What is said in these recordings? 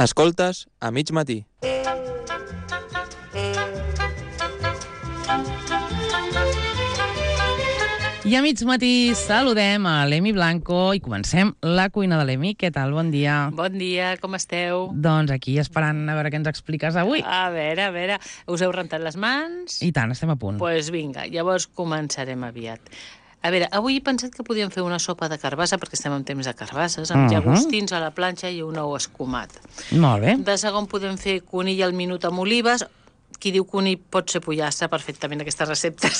Escoltes a mig matí. I a mig matí saludem a l'Emi Blanco i comencem la cuina de l'Emi. Què tal? Bon dia. Bon dia, com esteu? Doncs aquí esperant a veure què ens expliques avui. A veure, us heu rentat les mans? I tant, estem a punt. Doncs pues vinga, llavors començarem aviat. A veure, avui he pensat que podíem fer una sopa de carbassa, perquè estem en temps de carbasses, amb llagostins a la planxa i un ou escumat. Molt bé. De segon podem fer conill al minut amb olives. Qui diu conill pot ser pollastre perfectament, aquestes receptes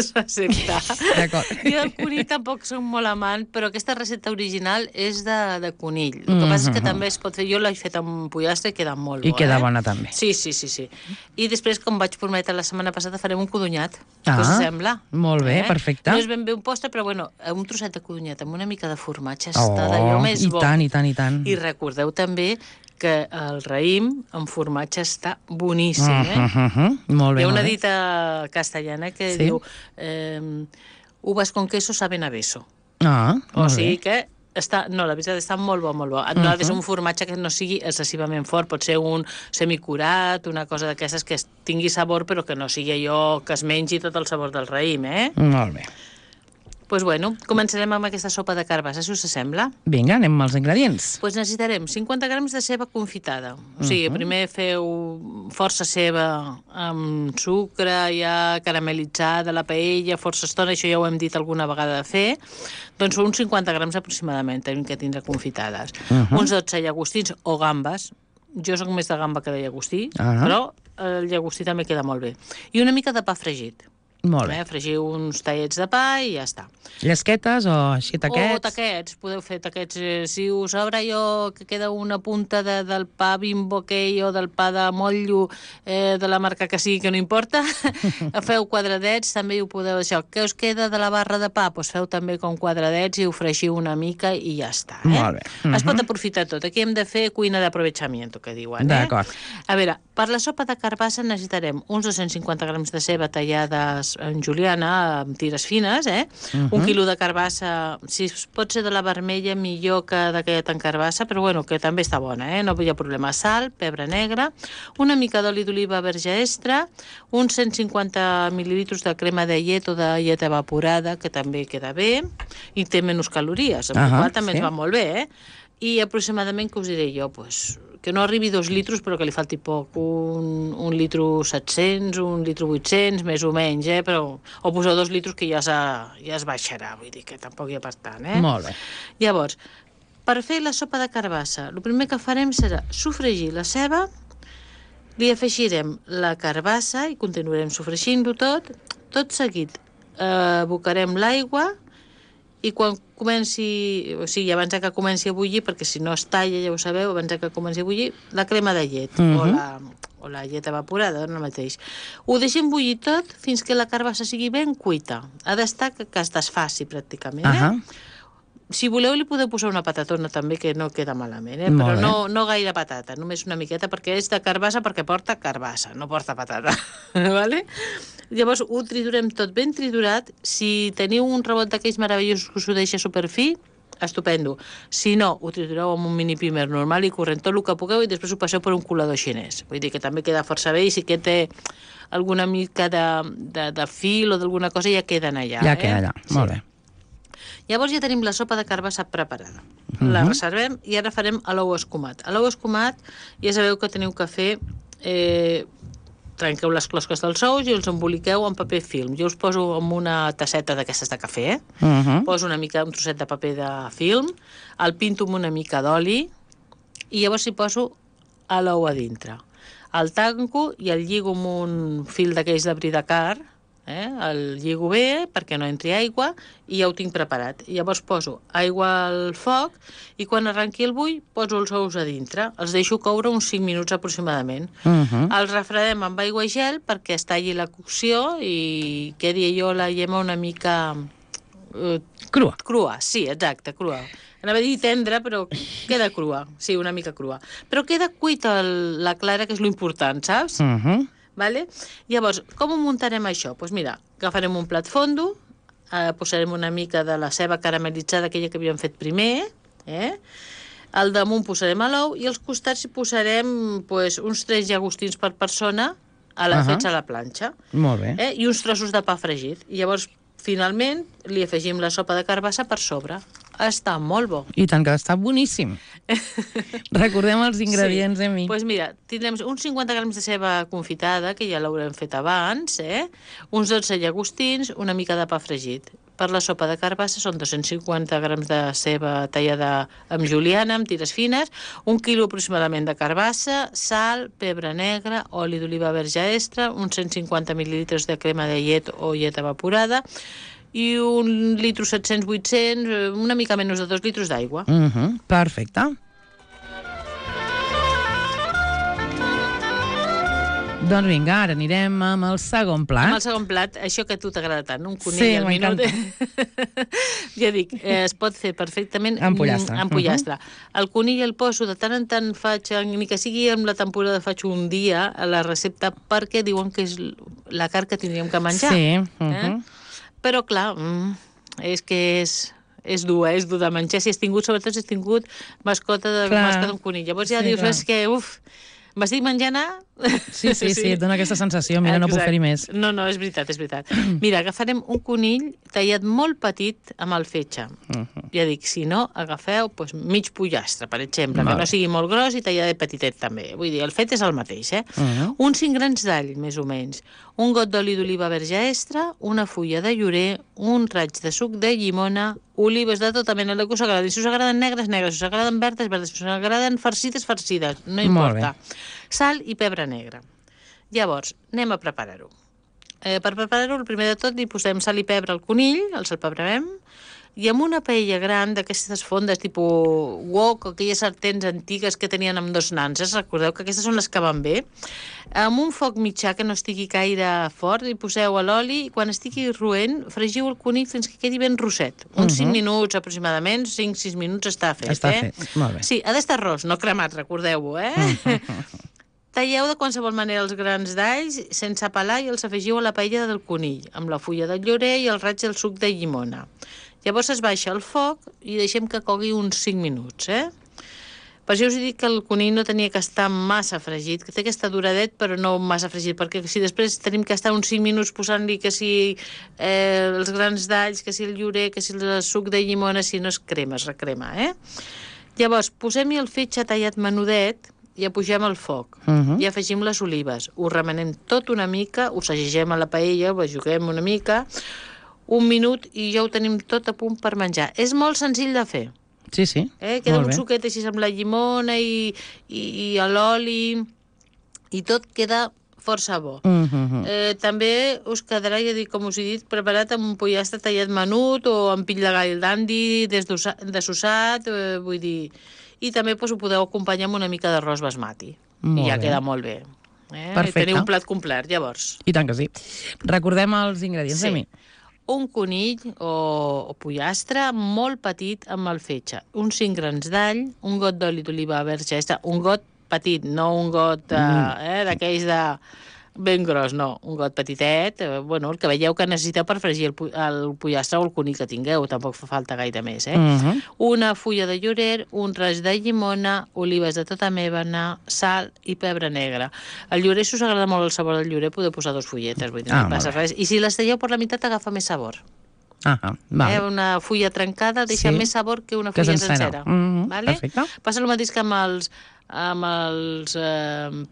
s'accepta. D'acord. Jo del conill tampoc soc molt amant, però aquesta recepta original és de conill. El que passa és que també es pot fer... Jo l'he fet amb pollastre i queda molt bo. I queda bona també. Sí. I després, com vaig prometre la setmana passada, farem un codonyat. Què us sembla? Molt bé, perfecte. No és ben bé un postre, però bueno, un trosset de codonyat amb una mica de formatge està d'allò més bo. I tant. I recordeu també que el raïm amb formatge està boníssim, Molt bé. Hi ha una dita castellana que diu uvas con queso saben a beso. O sigui que no, la veritat està molt bo, molt bo. No ha de ser un formatge que no sigui excessivament fort, pot ser un semicurat, una cosa d'aquestes que tingui sabor però que no sigui allò que es mengi tot el sabor del raïm, Molt bé. Doncs bueno, començarem amb aquesta sopa de carbassa, si us sembla. Vinga, anem als ingredients. Doncs necessitarem 50 grams de ceba confitada. O sigui, primer feu força ceba amb sucre, ja caramelitzada, la paella, força estona, això ja ho hem dit alguna vegada de fer. Doncs uns 50 grams aproximadament tenim que tindre confitades. Uns 12 llagostins o gambes. Jo soc més de gamba que de llagostí, però el llagostí també queda molt bé. I una mica de pa fregit. Molt bé. Fregiu uns tallets de pa i ja està. Llesquetes o així taquets? O taquets, podeu fer taquets. Si us sobra allò que queda una punta del pa Bimbo aquell o del pa de motllo de la marca que sigui, que no importa, feu quadradets, també ho podeu això. Què us queda de la barra de pa? Doncs feu també com quadradets i ho fregiu una mica i ja està. Molt bé. Es pot aprofitar tot. Aquí hem de fer cuina d'aprovechamiento, que diuen. D'acord. A veure, per la sopa de carbassa necessitarem uns 250 grams de ceba tallades en juliana, amb tires fines, un quilo de carbassa, si pot ser de la vermella, millor que d'aquella tan carbassa, però bueno, que també està bona, no hi ha problema. Sal, pebre negre, una mica d'oli d'oliva verge extra, uns 150 mil·lilitres de crema de llet o de llet evaporada, que també queda bé, i té menys calories, amb la qual també ens va molt bé, I aproximadament, que us diré jo, que no arribi 2 litres, però que li falti poc, un litro 700, un litro 800, més o menys, però o poseu 2 litres que ja es baixarà, vull dir que tampoc hi ha per tant, Molt bé. Llavors, per fer la sopa de carbassa, el primer que farem serà sofregir la ceba, li afegirem la carbassa i continuarem sofregint-ho tot seguit abocarem l'aigua i quan comenci, o sigui, abans que comenci a bullir, perquè si no es talla, ja ho sabeu, abans que comenci a bullir, la crema de llet o la llet evaporada, no mateix. Ho deixem bullir tot fins que la carbassa sigui ben cuita. Ha d'estar que es desfaci pràcticament, Si voleu li podeu posar una patatona també, que no queda malament, però no gaire patata, només una miqueta, perquè és de carbassa perquè porta carbassa, no porta patata, vale? Llavors ho triturem tot ben triturat. Si teniu un rebot d'aquells meravellosos que us ho deixa superfi, estupendo. Si no, ho tritureu amb un mini pimer normal i corrent tot el que pugueu i després ho passeu per un colador xinès. Vull dir que també queda força bé i si que té alguna mica de fil o d'alguna cosa ja queden allà. Ja queda allà, molt bé. Llavors ja tenim la sopa de carbassa preparada. La reservem i ara farem l'ou escumat. A l'ou escumat ja sabeu que teniu que fer... trenqueu les closques dels ous i els emboliqueu en paper film. Jo us poso en una tasseta d'aquestes de cafè, poso un trosset de paper de film, el pinto amb una mica d'oli i llavors hi poso l'ou a dintre. El tanco i el lligo amb un fil d'aquells de bridacar, el lligo bé perquè no entri aigua i ja ho tinc preparat. Llavors poso aigua al foc i quan arrenqui el bull poso els ous a dintre. Els deixo coure uns 5 minuts aproximadament. Els refredem amb aigua i gel perquè es talli la cocció i quedi allò la llema una mica... Crua. Crua, sí, exacte, crua. Anava a dir tendra, però queda crua. Sí, una mica crua. Però queda cuita la clara, que és l'important, saps? Vale? Llavors, com ho muntarem això? Doncs mira, agafarem un plat fondo, posarem una mica de la ceba caramelitzada, aquella que havíem fet primer, Al damunt posarem l'ou i als costats hi posarem uns 3 llagostins per persona fets a la planxa. Molt bé. I uns trossos de pa fregit. I llavors, finalment, li afegim la sopa de carbassa per sobre. Està molt bo. I tant que està boníssim. Recordem els ingredients, Emi. Doncs mira, tindrem uns 50 grams de ceba confitada, que ja l'haurem fet abans, uns 12 llagostins, una mica de pa fregit. Per la sopa de carbassa són 250 grams de ceba tallada amb juliana, amb tires fines, 1 quilo aproximadament de carbassa, sal, pebre negre, oli d'oliva verge extra, uns 150 mil·lilitres de crema de llet o llet evaporada i 1 litro 700-800, una mica menys de 2 litres d'aigua. Perfecte. Doncs vinga, ara anirem amb el segon plat. Amb el segon plat, això que a tu t'agrada tant, un conill al minut. Ja dic, es pot fer perfectament amb pollastre. Amb pollastre. El conill el poso, de tant en tant faig, ni que sigui amb la temporada faig un dia a la recepta, perquè diuen que és la carn que tindríem que menjar. Sí. Però clar, és que és dur de menjar. Sobretot si has tingut mascota d'un conill. Llavors ja dius, és que, m'estic menjant Sí, et dona aquesta sensació, mira, no puc fer-hi més. No, és veritat. Mira, agafarem un conill tallat molt petit amb el fetge. Ja dic, si no, agafeu mig pollastre, per exemple, que no sigui molt gros i tallat petitet també. Vull dir, el fet és el mateix, Uns 5 grans d'all, més o menys. Un got d'oli d'oliva verge extra, una fulla de llorer, un raig de suc de llimona, olives de tota mena, el que us agradi. Si us agraden negres, si us agraden verdes, si us agraden farcides, no importa. Sal i pebre negre. Llavors, anem a preparar-ho. Per preparar-ho, el primer de tot, li posem sal i pebre al conill, el salpebrem, i amb una paella gran d'aquestes fondes tipus wok, aquelles sartens antigues que tenien amb 2 nanses, recordeu que aquestes són les que van bé, amb un foc mitjà que no estigui gaire fort, li poseu l'oli i quan estigui roent, fregiu el conill fins que quedi ben rosset. Uns 5 minuts aproximadament, 5-6 minuts està fet. Està fet, molt bé. Sí, ha d'estar ros, no cremat, recordeu-ho, Talleu de qualsevol manera els grans d'alls sense pelar i els afegiu a la paella del conill, amb la fulla de llorer i el raig del suc de llimona. Llavors es baixa el foc i deixem que cogui uns 5 minuts, Per això us he dit que el conill no tenia que estar massa fregit, que té que estar duradet però no massa fregit, perquè si després tenim que estar uns 5 minuts posant-li que si els grans d'alls, que si el llorer, que si el suc de llimona, si no es crema, es recrema, Llavors posem-hi el fetge tallat menudet i apugem el foc i afegim les olives. Ho remenem tot una mica, ho segegem a la paella, ho juguem una mica, 1 minut i ja ho tenim tot a punt per menjar. És molt senzill de fer. Sí. Queda un suquet així amb la llimona i l'oli i tot queda força bo. També us quedarà, ja dic, com us he dit, preparat amb un pollastre tallat menut o amb pill de gall d'andi dessossat, vull dir... I també ho podeu acompanyar amb una mica d'arròs basmati. I ja queda molt bé. Perfecte. Teniu un plat complet, llavors. I tant que sí. Recordem els ingredients, Emi. Un conill o pollastre molt petit amb el fetge. Uns 5 grans d'all, un got d'oli d'oliva verge extra, un got petit, no un got d'aquells de... ben gros, no, un got petitet, el que veieu que necessiteu per fregir el pollastre o el conill que tingueu, tampoc fa falta gaire més, Una fulla de llorer, un raig de llimona, olives de tota mena, sal i pebre negre. El llorer, si us agrada molt el sabor del llorer, podeu posar 2 fulletes, vull dir, no passa res. I si les talleu per la meitat, agafa més sabor. Una fulla trencada deixa més sabor que una fulla sencera. Perfecte. Passa el mateix que amb els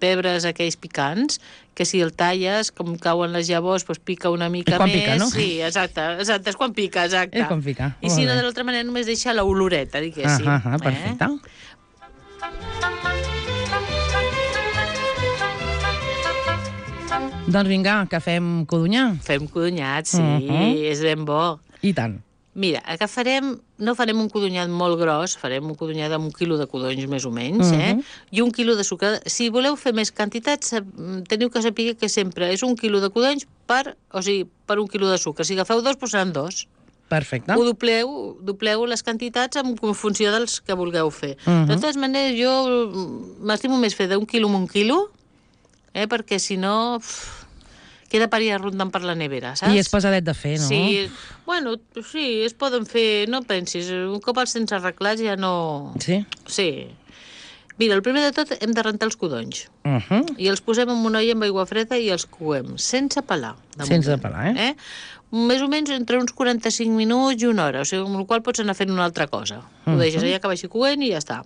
pebres aquells picants, que si el talles, com cauen les llavors, pica una mica més. És quan pica, no? Sí, exacte, és quan pica, exacte. És quan pica. I si no, de l'altra manera, només deixa l'oloreta, diguéssim. Perfecte. Doncs vinga, que fem codonyà. Fem codonyat, sí, és ben bo. I tant. Mira, no farem un codonyat molt gros, farem un codonyat amb 1 quilo de codonys més o menys, i 1 quilo de sucre. Si voleu fer més quantitats, teniu que saber que sempre és 1 quilo de codonys per 1 quilo de sucre. Si agafeu 2, seran 2. Perfecte. Ho dobleu les quantitats en funció dels que vulgueu fer. De totes maneres, jo m'estimo més fer d'1 quilo amb 1 quilo, perquè si no... queda per allà rondant per la nevera, saps? I és pesadet de fer, no? Sí, bueno, sí, es poden fer, no pensis, un cop els tens arreglats ja no... Sí? Sí. Mira, el primer de tot hem de rentar els codonys. Uh-huh. I els posem en una olla amb aigua freda i els coem, sense pelar. Sense pelar, eh? Més o menys entre uns 45 minuts i una hora, o sigui, amb el qual pots anar fent una altra cosa. Ho deixes allà que vagi coent i ja està.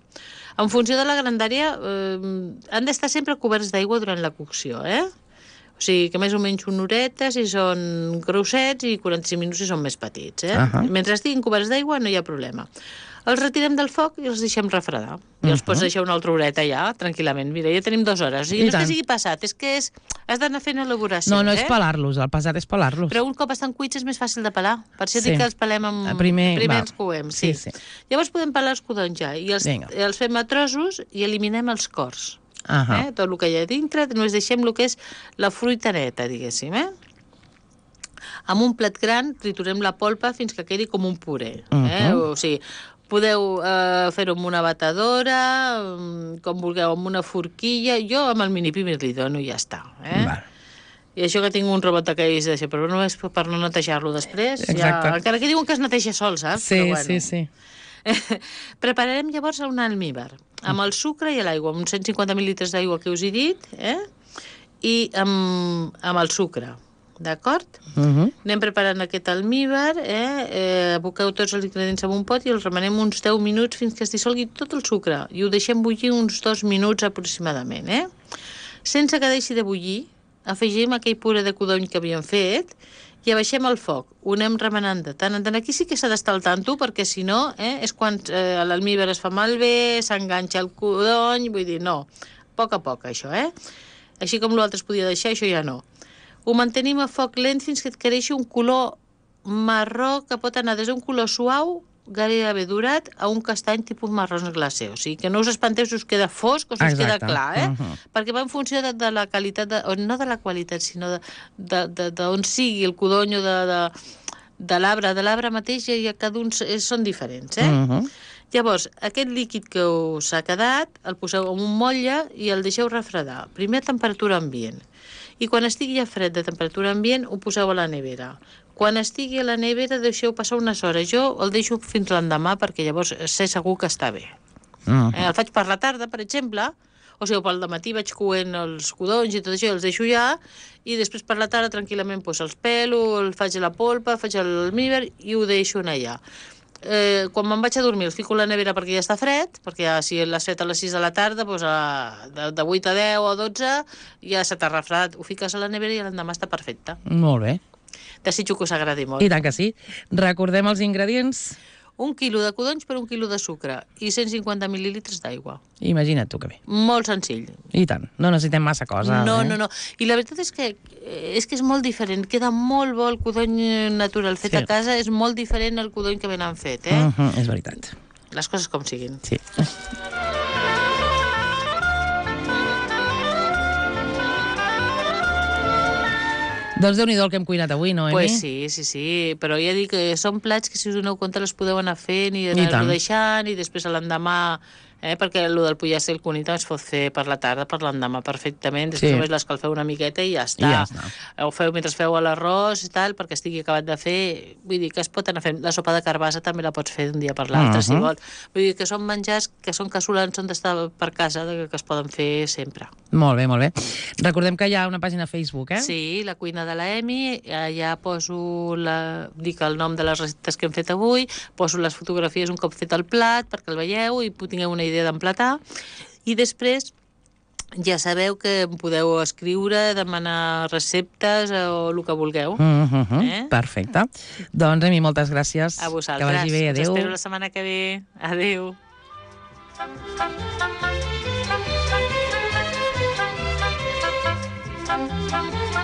En funció de la grandària, han d'estar sempre coberts d'aigua durant la cocció, O sigui, que més o menys una horeta si són grossets i 45 minuts si són més petits, Mentre estiguin coberts d'aigua no hi ha problema. Els retirem del foc i els deixem refredar. I els pots deixar una altra horeta ja, tranquil·lament. Mira, ja tenim 2 hores. I no és que sigui passat, és que has d'anar fent elaboracions, No és pelar-los, el passat és pelar-los. Però un cop estan cuits és més fàcil de pelar. Per això dic que els pelem amb... Primer els coem, sí. Llavors podem pelar els codonys ja. I els fem a trossos i eliminem els cors. Tot el que hi ha dintre, només deixem el que és la fruita neta, diguéssim, Amb un plat gran triturem la polpa fins que quedi com un puré. O sigui, podeu fer-ho amb una batedora, com vulgueu, amb una forquilla. Jo amb el mini-pimer li dono i ja està. I això que tinc un robot d'aquells d'això, però no és per no netejar-lo després. Encara que diuen que es neteja sol, saps? Sí. Prepararem llavors un almíbar, amb el sucre i l'aigua, amb uns 150 mil·litres d'aigua que us he dit, i amb el sucre. D'acord? Anem preparant aquest almíbar, aboqueu tots els ingredients en un pot i els remenem uns 10 minuts fins que es dissolgui tot el sucre i ho deixem bullir uns 2 minuts aproximadament, Sense que deixi de bullir, afegim aquell puré de codony que havíem fet i abaixem el foc. Ho anem remenant de tant en tant. Aquí sí que s'ha d'estar al tanto perquè si no, és quan l'almíbar es fa malbé, s'enganxa el codony, vull dir, no. A poc, això, Així com l'altre es podia deixar, això ja no. Ho mantenim a foc lent fins que adquireixi un color marró que pot anar des d'un color suau, gairebé durat, a un castany tipus marrons glacé. O sigui, que no us espanteu si us queda fosc o si us queda clar, Perquè va en funció de la qualitat, no de la qualitat, sinó d'on sigui el codony o de l'arbre mateix, i cada un són diferents, Llavors, aquest líquid que us ha quedat, el poseu en un motlle i el deixeu refredar. Primer a temperatura ambient. I quan estigui ja fred de temperatura ambient, ho poseu a la nevera. Quan estigui a la nevera, deixeu passar unes hores. Jo el deixo fins l'endemà perquè llavors sé segur que està bé. El faig per la tarda, per exemple, o sigui, pel dematí vaig coent els codonys i tot això, els deixo ja, i després per la tarda tranquil·lament els pelo, el faig a la polpa, faig l'almíbar i ho deixo allà. Quan me'n vaig a dormir els fico a la nevera perquè ja està fred, perquè ja, si l'has fet a les 6 de la tarda, doncs de 8 a 10 o 12 ja se t'ha refredat. Ho fiques a la nevera i l'endemà està perfecte. Molt bé. Desitjo que us agradi molt. I tant que sí. Recordem els ingredients. 1 quilo de codonys per 1 quilo de sucre i 150 mil·lílitres d'aigua. Imagina't tu que bé. Molt senzill. I tant. No necessitem massa cosa. No. I la veritat és que és molt diferent. Queda molt bo el codony natural fet a casa. És molt diferent al codony que venen fet, És veritat. Les coses com siguin. Sí. Doncs Déu-n'hi-do el que hem cuinat avui, no, Emi? Pues sí, però ja dic que són plats que si us doneu compte les podeu anar fent i anar-ho deixant i després a l'endemà perquè el del pollastre i el conita es pot fer per la tarda, per l'endemà perfectament, després només l'escalfeu una miqueta i ja està. Ho feu mentre feu l'arròs i tal, perquè estigui acabat de fer. Vull dir que es pot anar fent. La sopa de carbassa també la pots fer d'un dia per l'altre, si vols. Vull dir que són menjars que són casolans, són d'estar per casa, que es poden fer sempre. Molt bé, molt bé. Recordem que hi ha una pàgina a Facebook, Sí, la cuina de la Emi, allà poso dic el nom de les receptes que hem fet avui, poso les fotografies un cop fet el plat perquè el veieu i tingueu una idea d'emplatar, i després ja sabeu que em podeu escriure, demanar receptes o el que vulgueu. Perfecte. Doncs, Emi, moltes gràcies. A vosaltres. Que vagi bé. Adéu. Us espero la setmana que ve. Adéu. Thank you.